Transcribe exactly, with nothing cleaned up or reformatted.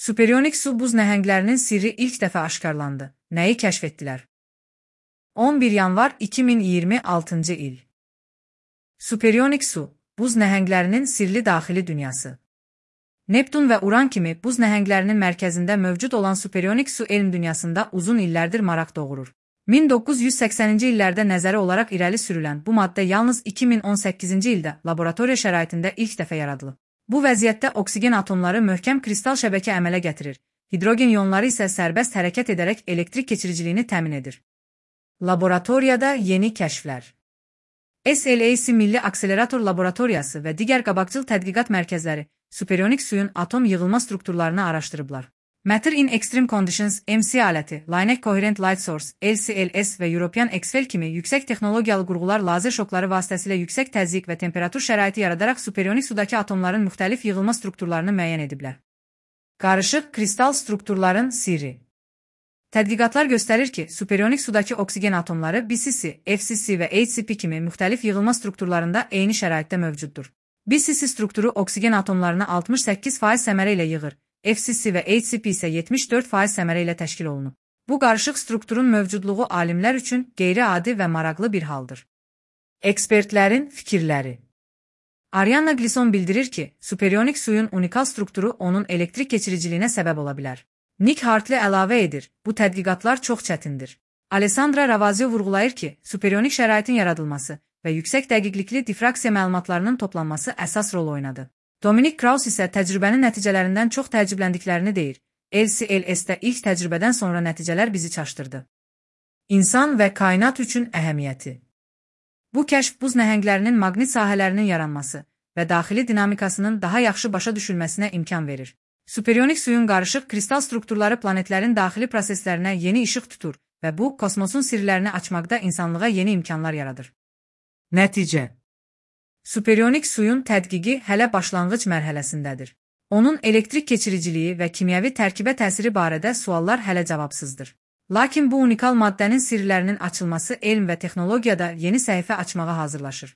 Superyonik su buz nəhənglərinin sirri ilk dəfə aşkarlandı. Nəyi kəşf etdilər? on bir yanvar iki min iyirmi altıncı il. Superyonik su, buz nəhənglərinin sirli daxili dünyası. Neptun və Uran kimi buz nəhənglərinin mərkəzində mövcud olan superyonik su elm dünyasında uzun illərdir maraq doğurur. min doqquz yüz səksəninci illərdə nəzəri olaraq irəli sürülən bu maddə yalnız iki min on səkkizinci ildə laboratoriya şəraitində ilk dəfə yaradılıb. Bu vəziyyətdə oksigen atomları möhkəm kristal şəbəkə əmələ gətirir, hidrogen ionları isə sərbəst hərəkət edərək elektrik keçiriciliyini təmin edir. Laboratoriyada yeni kəşflər. S L A C Milli Akselerator Laboratoriyası və digər qabaqcıl tədqiqat mərkəzləri superyonik suyun atom yığılma strukturlarını araşdırıblar. Matter in Extreme Conditions M C aləti, Linear Coherent Light Source L C L S və European X-FEL kimi yüksək texnologiyalı qurğular lazer şokları vasitəsilə yüksək təzyiq və temperatur şəraiti yaradaraq superyonik sudakı atomların müxtəlif yığılma strukturlarını müəyyən ediblər. Qarışıq kristal strukturların sirri. Tədqiqatlar göstərir ki, superyonik sudakı oksigen atomları B C C, F C C və H C P kimi müxtəlif yığılma strukturlarında eyni şəraitdə mövcuddur. B C C strukturu oksigen atomlarını altmış səkkiz faiz səmərə ilə yığır, F C C və H C P isə yetmiş dörd faiz səmərə ilə təşkil olunub. Bu qarışıq strukturun mövcudluğu alimlər üçün qeyri-adi və maraqlı bir haldır. Ekspertlərin fikirləri. Arianna Glisson bildirir ki, superyonik suyun unikal strukturu onun elektrik keçiriciliyinə səbəb ola bilər. Nick Hartley əlavə edir, bu tədqiqatlar çox çətindir. Alessandra Ravazio vurğulayır ki, superyonik şəraitin yaradılması və yüksək dəqiqlikli difraksiya məlumatlarının toplanması əsas rol oynadı. Dominic Krauss isə təcrübənin nəticələrindən çox təəccübləndiklərini deyir. L C L S-də ilk təcrübədən sonra nəticələr bizi çaşdırdı. İnsan və kainat üçün əhəmiyyəti. Bu kəşf buz nəhənglərinin maqnit sahələrinin yaranması və daxili dinamikasının daha yaxşı başa düşülməsinə imkan verir. Superyonik suyun qarışıq kristal strukturları planetlərin daxili proseslərinə yeni işıq tutur və bu, kosmosun sirlərini açmaqda insanlığa yeni imkanlar yaradır. Nəticə. Superyonik suyun tədqiqi hələ başlanğıc mərhələsindədir. Onun elektrik keçiriciliyi və kimyəvi tərkibə təsiri barədə suallar hələ cavabsızdır. Lakin bu unikal maddənin sirlərinin açılması elm və texnologiyada yeni səhifə açmağa hazırlaşır.